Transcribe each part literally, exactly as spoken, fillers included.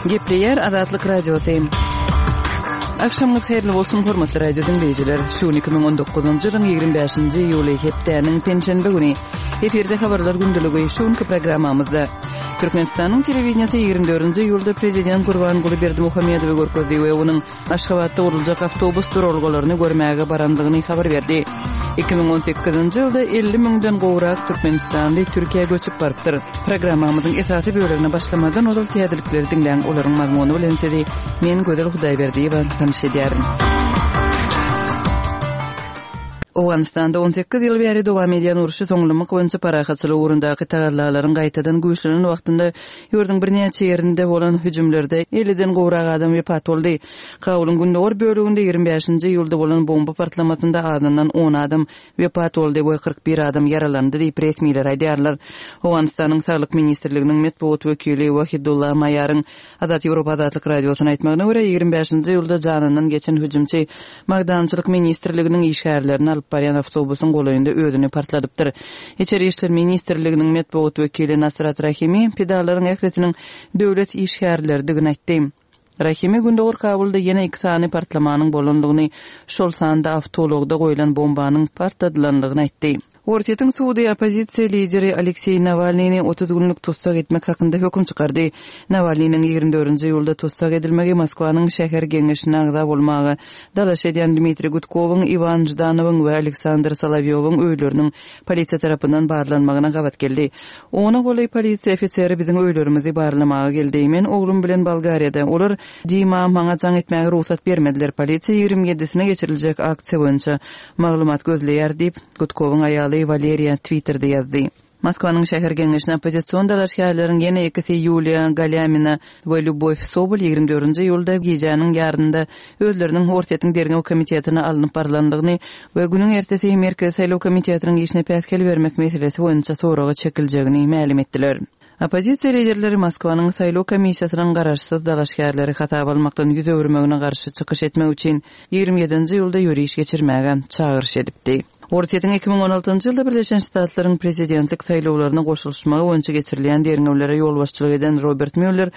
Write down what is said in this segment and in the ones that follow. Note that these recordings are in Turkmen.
Gepleýär Azatlyk Radiosy. Agşamyňyz haýyrly bolsun, hormatly radio diňleýjiler. Şu gün iki müň on dokuzynjy ýylyň ýigrimi bäşinji iýuly, hepdäniň penşenbe güni. Efirde habarlar gündeligi şu günki programmamyzda. Türkmenistanyň telewideniýesi ýigrimi dördünji iýulda prezident Gurbanguly Berdimuhamedowy görkezdi we onuň Aşgabatda guruljak awtobus duralgalaryny görmäge barandygyny habar berdi. Iki müň on sekizinji ýylda elli müňden gowrak türkmenistanly Türkiýä göçüp barypdyr. Programmamyzyň esasy bölegine başlamazdan ozal täzelikleri diňläň, olaryň mazmuny bilen sizi men Gözel Hudaýberdiýewa tanyş edýärin. Owganystanda on sekiz ýyl bäri dowam edýän urşy soňlamak boýunça parahatçylyk ugrundaky tagallalaryň gaýtadan güýçlenen wagtynda ýurduň birnäçe ýerinde bolan hüjümlerde elliden gowrak adam wepat boldy. Kabulyň gündogar böleginde ýigrimi bäşinji iýulda bolan bomba partlamasynda azyndan on adam wepat boldy we kyrk bir adam ýaralandy diýip, resmiler aýdýarlar. Owganystanyň Saglyk ministrliginiň metbugat wekili Wahidullah Maýaryň Azat Ýewropa Azatlyk Radiosyna aýtmagyna görä, ýigrimi bäşinji iýulda janyndan geçen hüjümçi Magdançylyk ministrliginiň işgärlerini alyp barýan awtobusyň golaýynda özüni partladypdyr. Içeri işler ministrliginiň metbugat wekili Nasrat Rahimi pidalaryň ählisiniň döwlet işgärleridigini aýtdy. Rahimi Gündogar Kabulda ýene iki sany partlamanyň bolandygyny, şol sanda awtoulagda goýlan bombanyň partladylandygyny aýtdy. Orsýetiň sudy oppozisiýa lideri Alekseý Nawalnyny otuz günlük tussag etmek hakynda höküm çykardy. Nawalnynyň ýigrimi dördünji iýulda tussag edilmegi Moskwanyň şäher geňeşine agza bolmaga dalaş edýän Dmitriý Gudkowyň, Iwan Ždanowyň we Aleksandr Solowýowyň öýleriniň polisiýa tarapyndan barlanmagyna gabat geldi. Ona golaý polisiýa ofiseri biziň öýlerimizi barlamaga geldi. Men oglum bilen Bolgariýada. Olar Dima maňa jaň etmäge rugsat bermediler. Polisiýa ýigrimi ýedisine geçiriljek aksiýa boýunça maglumat gözleýär diýip, Gudkowyň aýaly Waleriýa Twitterde ýazdy. Moskwanyň şäher geňeşine oppozision dalaşgärleriň ýene ikisi Ýuliýa Galýamina we Lýubow Sobol ýigrimi dördünji iýulda gijäniň ýarynda özleriniň Orsýetiň derňew komitetine alnyp barlandygyny we günüň ertesi Merkezi saýlaw komitetiniň işine päsgel bermek meselesi boýunça soraga çekiljegini mälim etdiler. Oppozisiýa liderleri Moskwanyň saýlaw komissiýasynyň garaşsyz dalaşgärleri hasaba almakdan ýüz öwürmegine garşy çykyş etmek üçin ýigrimi ýedinji iýulda ýöriş geçirmäge çagyryş edipdi. Orsýetiň iki müň on altynjy ýylda Birleşen Ştatlaryň prezidentlik saýlawlaryna goşulyşmagy boýunça geçirilýän derňewlere ýolbaşçylyk eden Robert Müller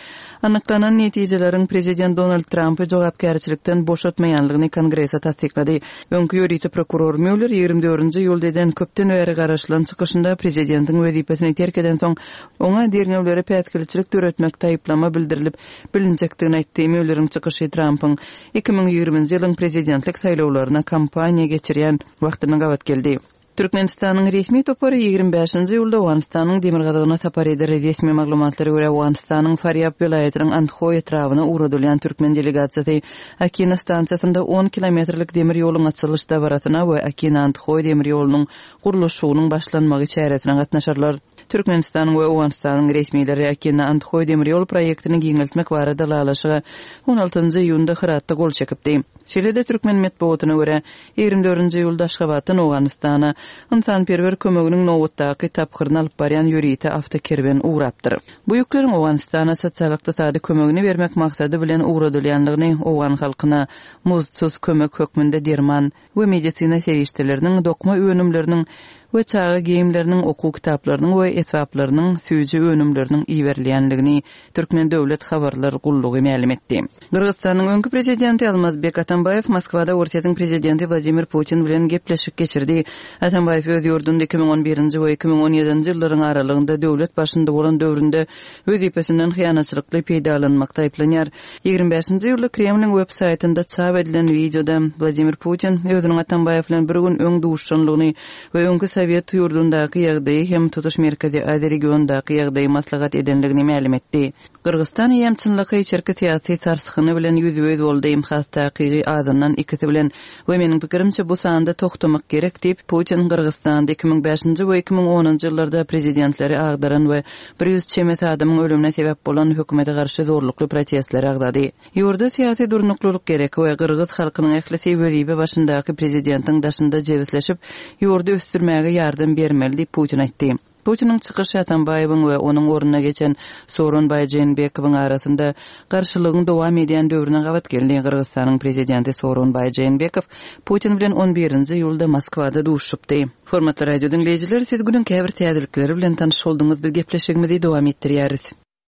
anyklanan netijeleriň prezident Donald Trampy jogapkärçilikden boşatmaýanlygyny Kongrese tassyklady. Öňki ýörite prokuror Müller ýigrimi dördünji iýulda eden köpden bäri garaşylan çykyşynda prezidentiň wezipesini terk edensoň oňa derňewlere päsgelçilik döretmek taýyplama bildirilip bilinjekdigini aýtdy. Mülleriň çykyşy Trampyň iki müň ýigriminji ýylyň prezidentlik saýlawlaryna kampaniýa geçirýän wagtyna gabat geldi. Türkmenistanyň resmi topary ýigrimi bäşinji iýulda Owganystanyň demirgazygyna sapar eder. Resmi maglumatlara görä, Owganystanyň Farýab welaýatynyň Andhoý etrabyna ugradylýan türkmen delegasiýasy Akina stansiýasynda on kilometrlik demir ýoluň açylyş dabarasyna we Akina-Andhoý demir ýolunyň gurluşygynyň başlanmagy çäresine gatnaşarlar. Türkmenistanyň we Owganystanyň resmileri Akina-Andhoý demir ýol proýektini giňeltmek barada ylalaşyga on altynjy iýunda Hyratda gol çekipdi. Şeýle-de türkmen metbugatyna görä, ýigrimi dördünji iýulda Aşgabatdan Owganystana ynsanperwer kömeginiň nobatdaky tapgyryny alyp barýan ýörite awtokerwen ugrapdyr. Bu ýükleriň Owganystana sosial-ykdysady kömegini bermek maksady bilen ugradylýandygyny, owgan halkyna muzdsuz kömek hökmünde derman we medisina serişdeleriniň, dokma önümleriniň we çaga geýimleriniň, okuw kitaplarynyň we esbaplarynyň, süýji önümleriniň iberilýändigini Türkmen döwlet habarlar gullugy mälim etdi. Gyrgyzystanyň öňki prezidenti Almazbek Atambaýew Moskwada Orsýetiň prezidenti Wladimir Putin bilen gepleşik geçirdi. Atambaýew öz ýurdunda iki müň on birinji we iki müň on ýedinji ýyllaryň aralygynda döwlet başynda bolan döwründe wezipesinden hyýanatçylykly peýdalanmakda aýyplanýar. Ýigrimi bäşinji iýulda Kremliň web saýtynda çap edilen wideoda Wladimir Putin özüniň Atambaýew bilen bir gün öň duşanlygyny we öňki Sowet ýurdundaky ýagdaýy hem tutuş Merkezi Aziýa regionyndaky ýagdaýy maslahat edenligini mälim etdi. Gyrgyzystan eýýäm çynlakaý içerki syýasy sarsgyny bilen ýüzbe-ýüz boldy, has takygy azyndan ikisi bilen we meniň pikirimçe bu sanda toxtamak gerek diýip, Putin Gyrgyzystanda iki müň bäşinji we iki müň onunjy ýyllarda prezidentleri agdaran we bir ýüz çemesi adamyň ölümine sebäp bolan hökümete garşy zorlukly protestleri agzady. Ýurda syýasy durnuklylyk gerek we gyrgyz halkynyň ählisi wezipe başyndaky prezidentiň daşynda jebisleşip, ýurdy ösdürmäge ýardam bermeli diýip Putin aýtdy. Putiniň çykyşy Atambaýewiň we onuň ornuna geçen Sooronbaý Jeenbekowyň arasynda garşylygyň dowam edýän döwrüne gabat geldi. Gyrgyzystanyň prezidenti Sooronbaý Jeenbekow Putin bilen on birinji iýulda Moskwada duşupdy. Hormatly radio diňleýjiler, siz günüň käbir täzelikleri bilen tanyş bolduňyz. Biz gepleşigimizi dowam etdirýäris.